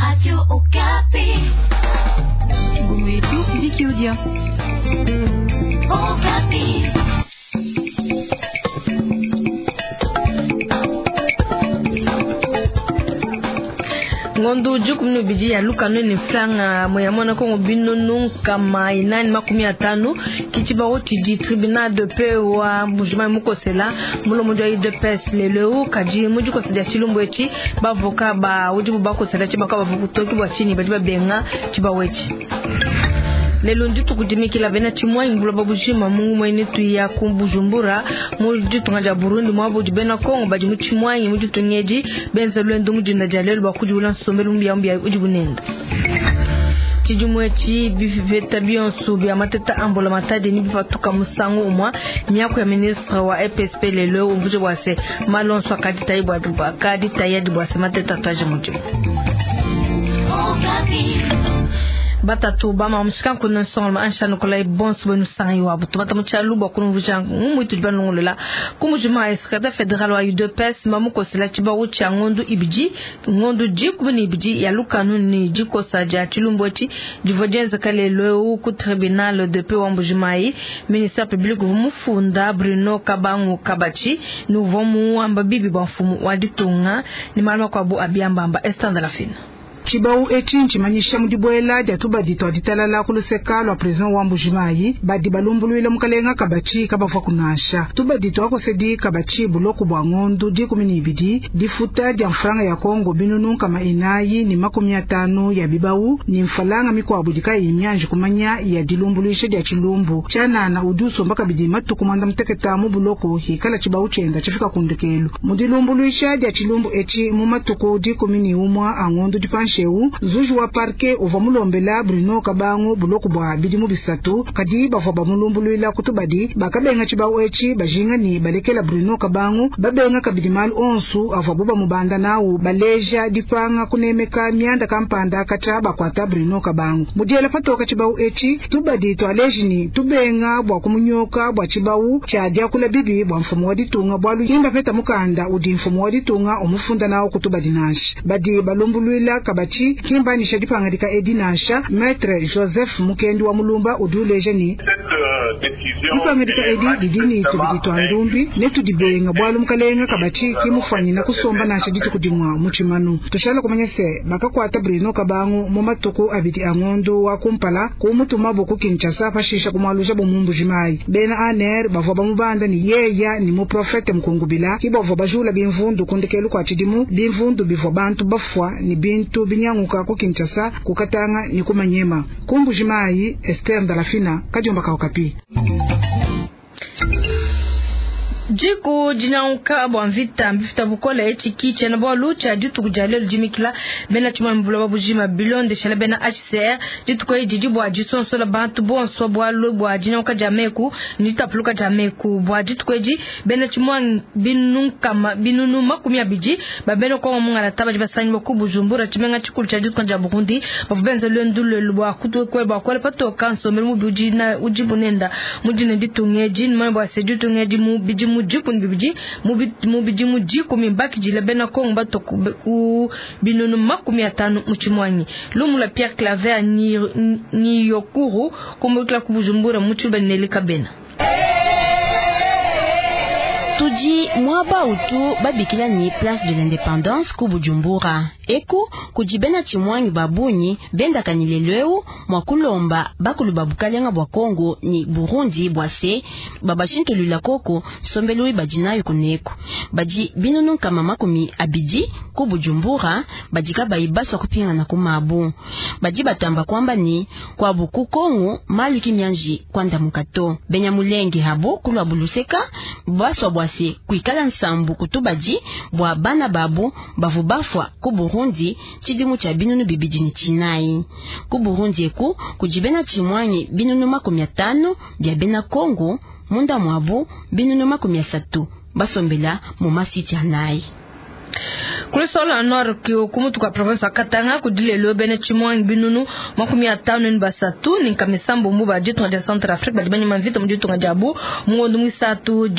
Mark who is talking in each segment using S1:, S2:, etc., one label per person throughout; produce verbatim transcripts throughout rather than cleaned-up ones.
S1: Radio Okapi.
S2: Gumu Vicky Odia.
S1: Okapi.
S3: Ngondo dikumi ne ibidi ya lukanu ne franga moya kongo binunu nkama inani makumi atanu ke tshibawu tshidi tribunal de paix wa Mbuji-Mayi mukosela mulombodi wa U D P S lelo kadi mu dikosa dia tshilumbu etshi bavoka ba udibu bakosela tshibaka bavua kutoki bua tshinyi badi babenga tshibawu etshi. Lelo ndituku dimikila bena tshimuangi buloba bujima mu ngumue tuya ku Bujumbura mu ditunga dia Burundi muabudi bena Kongo badi mu tshimuangi mu ditunga edi benza lwendo mu dinda dia lelo bua kudiula nsombelu mbiambia udi bunenda. Tshidimu etshi bipeta bionso bia mateta a mbulamatadi ne bipatuka musangu umue miaku ya ministre wa E P S P lelo umvuje bua se malu onso akaditayi bua akaditayi bua se mateta ataje mudimu.
S1: Okapi.
S3: Batatu bama musika nkuna nsonga ansha nokola bonso benu sangi wabo tubata mutshalu bwa kunvuja ngumwitu dibanongolela kumujima secrétaire fédéral wa U D P S mamukosela tshibawu tshia ngondu ibidi ngondu dikumi ne ibidi ya lukanu ni dikosa dia tshilumbu etshi divua dienzeka lelo ku tribunal de paix wa Mbuji-Mayi. Ministère public uvua mufunda Bruno Kabangu Kabachi ni uvua muamba bibi bua mfumu wa ditunga ni malu makuabu abiambamba Esther Lafina.
S4: Tshibawu etshi ntshimanyisha mu dibuela dia tubadi twa ditalala ku luseka lua president wa Mbuji-Mayi badi balumbuluila mukalenga Kabachi kabavua kunansha tubadi twakosedi Kabachi buloku bua ngondu dikumi ne ibidi, difuta dia mfranga ya Kongo binunu nkama inayi ne makumi atanu ya bibawu ne mfalanga mikuabu dikayi mianji kumanya ya dilumbuluisha dia tshilumbu tshianana. Udi usomba kabidi matuku mwanda muteketa mu buloku hikala tshibawu tshienda tshifika kundekelu mu dilumbuluisha dia tshilumbu etshi mu matuku dikumi ne umua a ngondu dipanshi eu. Zuji wa parquet uvua mulombela Bruno Kabangu buloku bua bidimu bisatu, kadi bavua bamulumbuluila kutubadi bakabenga tshibawu etshi bajinga ni balekela Bruno Kabangu. Babenga kabidi malu onsu avuabu bamubanda nawu, baleja dipanga kunemeka mianda kampanda katshia bakuata Bruno Kabangu. Mudiela patoka tshibawu etshi, tubadi twaleji ni tubenga bua kumunyoka bua tshibawu tshia diakula bibi bua mfumu wa ditunga, bualu kimba peta mukanda udi mfumu wa ditunga umufunda nawu kutubadi nansha. Badi balumbuluila Kabachi kimbanisha dipangadika edi nansha. Maître Joseph Mukendi wa Mulumba udi uleja ni dipangadika edi didi ni tubidi twa ndumbi ne tudibenga bualu mukalenga Kabachi kimufanyina kusomba nansha dituku dimua mu tshimanu. Tushala kumanya se bakakuata Bruno Kabangu mu matuku abidi a ngondu wa kumpala kumutumabu ku Kinshasa, pashisha kumwalusha bu mu Mbuji-Mayi. Bena A N R bavua bamubanda ni yeya ni muprofete mukungubila ki bavua bajula bimvundu kundekelu kua tshidimu, bimvundu bivua bantu bafua ni bintu binyanguka ku Kinshasa, ku Katanga ni ku Manyema. Ku Mbuji-Mayi, Esther Ndalafina, Kadiomba ka Okapi.
S3: Diku dinyanguka bua mvita mbifita bukole etshi ki tshiena bualu tshia dituku dia lelo dimikila bena tshimuangi buloba bujima. Bilondeshela bena H C R, dituku edi didi bua disonsola bantu bonso bualu bua dinyanguka dia meku ne ditapuluka dia meku. Bua dituku edi bena tshimuangi binunu binunu makumi abidi ba bena Kongo mungalata badi basangibua ku Bujumbura, tshimenga tshikulu tshia ditunga dia Burundi, bavua benza luendu lelu bua kutuekue bua kuela patoka nsombelu mubi udi udi bunenda mu dina ditunga edi nimanye bua se ditunga edi mu bidimu dikumi bibidi mu bidimu dikumi bakidila bena Kongo bato ku binunu makumi atanu mu tshimuangi. Lumu la Pierre Claver Niyokuru kumbukila ku Bujumbura mu tshiluba Nelika Bena.
S5: Tudi muaba utu babikila ni Place de l'Indépendance ku Bujumbura. Eku kudi bena tshimuangi babunyi bendaka ni lelo eu mua kulomba bakulu ba bukalenga bua Kongo ni Burundi bua se babashintulula koko nsombelu badi nayo kuneku. Badi binunu nkama makumi abidi ku Bujumbura badi kabayi basua kupingana ku mabu. Badi batamba kwamba ni kwabu ku Kongo malu kimianji kwandamuka to. Benya mulenge habo kulwa buluseka basua bua se kuikala nsambu kutubadi bua bana babu bavu bafua ku Burundi tshidimu tshia binunu bibidi ne tshinayi. Ku Burundi eku kudi bena tshimuangi binunu makumi atanu bia bena Kongo, munda muabu binunu makumi asatu basombela mu masiti anayi.
S3: Kulisola nord kumutu kwa province ya Katanga kudilelo bene chimwangi binunu makumi atano ni basatu ni nkamisambo mbuba ditunga dia Centrafrique badi banyama mvita mu ditunga diabu mungondo mwisatu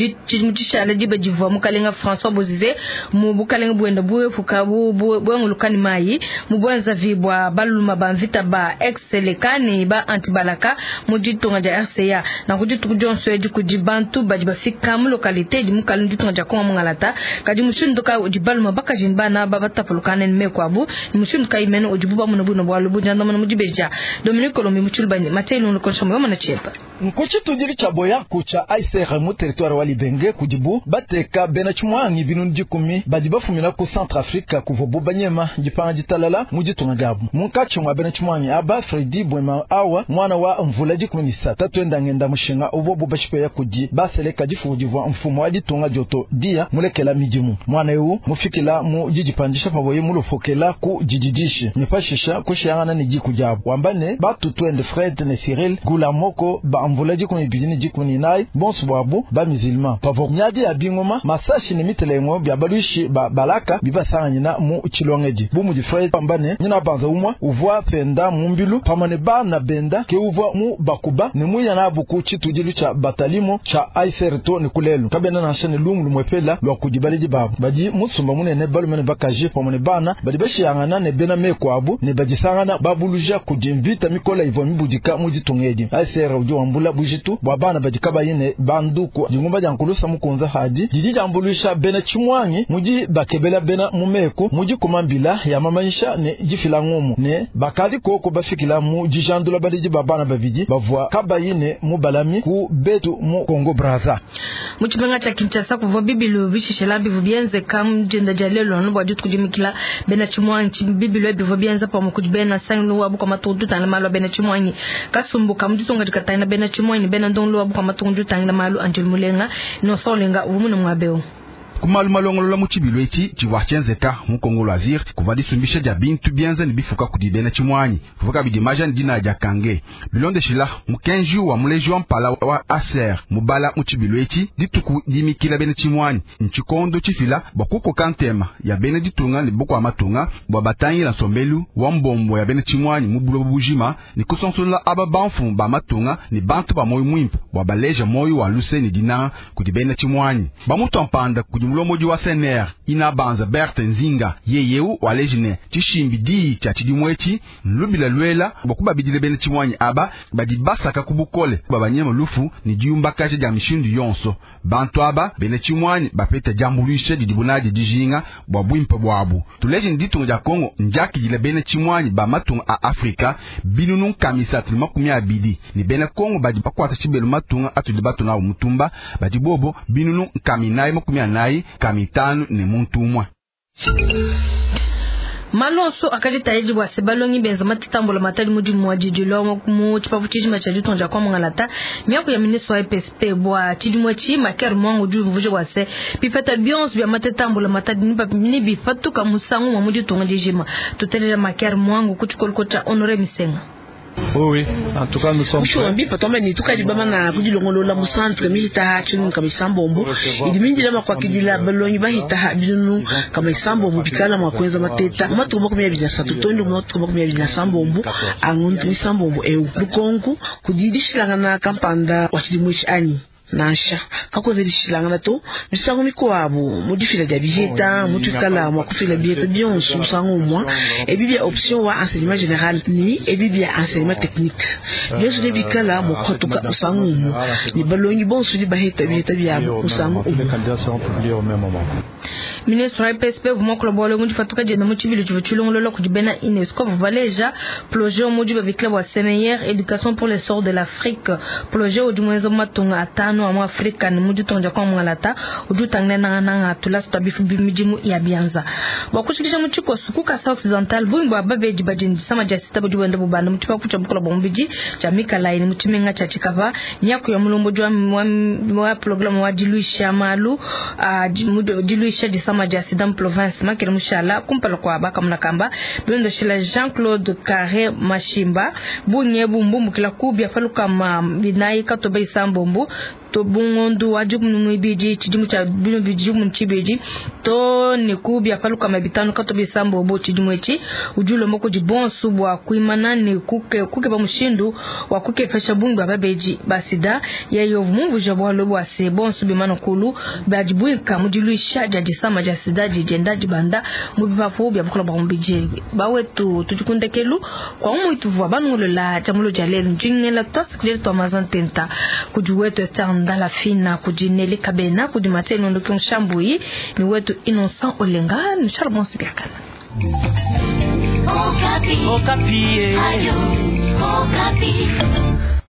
S3: mutshishala diba divua mukalenga François Bozize mu bukalenga buenda buepuka bwengulukani mayi mu bwenza vibwa baluma ba mvita ba ex-selekani ba antibalaka mu ditunga dia R C A na ku dituku dionso edi kudi bantu badi bafika mu localité di mukalenga ditunga dia Kongo mungalata kadi mushindu ka udi baluma bakajini bana babatapulukana ne mekwabu mushindu ka imene udi buba muno buno bwalu bujanda muno mudibeja Dominique Colombi muchulubani matelo nkonshomba mwana chepa
S2: nkuchi tudili cha boya kucha I C R mu territoire wa Libenge kudibu bateka bena chimwangi binunu dikumi badi bafumina ku Centrafrique kuva bubanyema dipanga ditalala mu ditunga diabu munkachi mwa bena chimwangi aba Fredi Bwema awa mwana wa mvula dikumi ni sata twenda ngenda mushinga uvo bubashipeya kudi baseleka difu divwa mfumo wa ditunga dioto dia mulekela midimu mwana eu mufikila mu didipandisha paboye mulufokela ku dididishi nipashisha kushiyangana ni diku diabu wambane batu twende Fred ne Cyril Gulamoko ba mvula dikumi bidini dikumi nai bonso bwabu ba musulman pavo nyadi ya bingoma masashi ne mitelengo bya balushi ba balaka bibasanganyina mu chilongedi bu mu Fred pambane nyina banza umwa uvwa penda mumbilu pamane bana benda ke uvwa mu bakuba ne muya na buku chitudilu cha batalimo cha I C R to ne kulelu kabena na shane lungu mwepela lwa kudibalidi babu badi musumba munene balumene bakaje pamane bana badi bashiyangana ne bena mekwabu ne badisangana babuluja kudimvita mikola ivwa mibudika mu ditungedi I C R udi wambula bujitu bwa bana badika bayine banduku dingumba dyankulusa mukunza hadi didi dyambulusha bena chimwangi mudi bakebela bena mumeko mudi kumambila ya mamanyisha ne difila ngumu ne bakali koko bafikila mu dijandula balidi ba bana babidi bavwa kabayine mu balami ku betu mu Congo Brazza
S3: mu tshimenga tsha Kinshasa kuvwa bibilu bishishela bivu bienze kam jenda jalelo no bwa ditu kudimikila bena chimwangi bibilu bivu bienza pa mukudi bena sanglu wabu kwa matudu tangla malu bena chimwangi kasumbuka muditunga dikatangila bena chimwangi bena ndonglo wabu kwa matudu tangla malu Angel Mulenga no solenga umuna mwabeo
S6: kumalu malongolola mu tshibilu etshi tshivua tshienzeka mu Kongo Loisir kuva disumbisha dia bintu bienza ne bifuka kudi bena tshimwanyi kuva kabidi majani dina dia kange bilondeshila mukenji wa muleji wa mpala wa A C R mubala mu tshibilu etshi dituku dimikila bena tshimwanyi ntshikondo tshifila bua kukoka ntema ya bena ditunga ne bukua matunga bua batangila nsombelu wa mbombo ya bena tshimwanyi mu buloba bujima ne kusonsola aba banfu ba matunga ne bantu ba moyo muimpe bua baleja moyo wa luse ne dinanga kudi bena tshimwanyi bamutu mpanda kudi mulomodi wa S N R ina banza Berthe Nzinga yeyeu walejine tshishimbi di tshia tshidimwetshi lubila lwela bakubabidile bena tshimwanyi aba badi basaka kubukole babanyema lufu ni diumbakaje dia mishindu yonso bantu aba bena tshimwanyi bapeta diambuluisha didibunadi dijinga bua bwimpe bwabu tuleje ditunga dia Kongo njakidile bena tshimwanyi ba matunga a Afrika binunu nkamisatu makumi abidi ni bena Kongo badi bakwata tshibelu matunga atudi batuna mutumba badi bobo binunu nkaminayi makumi anayi kamitanu ne muntu umwe.
S3: Malonso akajitahidi bua se balongi benza matitambula matali mudimu wa didilo mu tshipapu tshijima tshia ditunga kwa mungalata miaku ya ministre wa E P S P bua tshidimu tshi Maker Mwangu diuvuje bua se bipeta bionso bia matitambula matali ni bipatuka musangu wa mu ditunga dijima tuteleja Maker Mwangu ku tshikoloko tshia Honoré Misenga.
S7: Oui, oui, en tout cas nous sommes prêts.
S8: Mbi patoma ni tukadi bamana kudilongolola mu centre milita chinu kama isambombo idimindila makwakidila balongi bahita binunu kama isambombo bikala makwenza mateta matuko makumi abiri na satu tondo matuko makumi abiri na sambombo angundu isambombo eu lukonku kudidishilangana kampanda wachidimwishi anyi nansha kakwenzedishilangana to misango mikuabu mudifila dia bijeta mutuikala mwa kufila bijeta bionso musango umwa ebi bia option wa enseignement général ni ebi bia enseignement technique bionso ne bikala mukwatuka musango umwa ni balongi bonso ni baheta bijeta biabo musango umwa.
S3: Ministre wa E P S P vumwa bwalo mundi fatuka jenda mu tshibilu tshivu tshilongolola kudi bena UNESCO vubaleja projet mudi babikila bua meilleure éducation pour l'essor de l'Afrique projet udi mwenza matunga atano wa Afrika ni mudi tonja kwa mwangalata udi utangile nanga nanga tula sita bifu bimidimu ya bianza bua kushikisha mu tshikoso ku Kasai Occidental bungi bua babedi badi disama dia sita budi bwenda bubanda mu tshipapu tshia bukola bua mubidi tshia Mikalayi ni mu tshimenga tshia Tshikapa miaku ya mulombo wa wa programme wa diluisha malu diluisha disama dia sida mu province makele mushala kumpala kwa bakamuna kamba bilondoshela Jean-Claude Carré Mashimba bunye bumbumbukila kubya faluka ma binayi katoba isambombo to bungondu wa dikumi muibidi tshidimu tshia binu bidi dikumi tshibidi to ne ku bia palukama bitanu kato bisambo bo tshidimu etshi udi ulomba kudi bonso bua kuimana ne kuke kukeba mushindu wa kukepesha bungi bwa babeji ba sida yeye mumvuja bwalo bwa se bonso bimana kulu badibuika mu diluisha dia disama dia sida dijenda dibanda mu bipapu bya bukola bwa mubidi bawetu tudikundekelu kwa umwitu vwa banungolola jamulo dia lelu njingela twasikilele twa mazantenta kudi wetu Esther Ndala Fina kudi Nelly Kabena kudi Mathieu Ndoki Nshambuyi ni wetu Innocent Olenga ni Charles Bonsibiakana.
S1: Okapi. Okapi. Ayo, Okapi.